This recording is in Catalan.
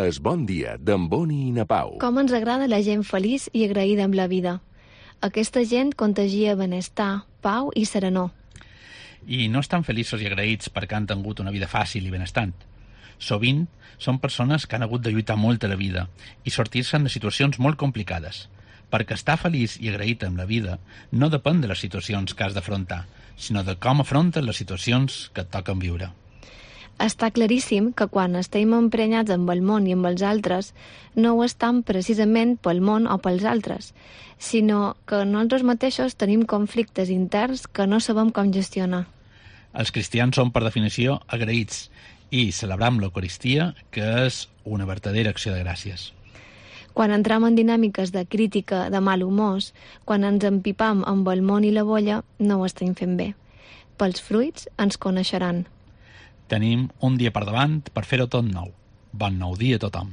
Es Bon Dia, d'en Boni i na Pau. Com ens agrada la gent feliç i agraïda amb la vida. Aquesta gent contagia benestar, pau i serenor. I no estan feliços i agraïts perquè han tingut una vida fàcil i benestant. Sovint són persones que han hagut de lluitar molt a la vida i sortir-se'n de situacions molt complicades. Perquè estar feliç i agraït amb la vida no depèn de les situacions que has d'afrontar, sinó de com afrontes les situacions que et toquen viure. Està claríssim que quan estem emprenyats amb el món i amb els altres, no ho estem precisament pel món o pels altres, sinó que nosaltres mateixos tenim conflictes interns que no sabem com gestionar. Els cristians són, per definició, agraïts i celebram l'Eucaristia, que és una vertadera acció de gràcies. Quan entrem en dinàmiques de crítica, de mal humor, quan ens empipam amb el món i la bolla, no ho estem fent bé. Pels fruits ens coneixeran. Tenim un dia per davant per fer-ho tot nou. Bon nou dia a tothom.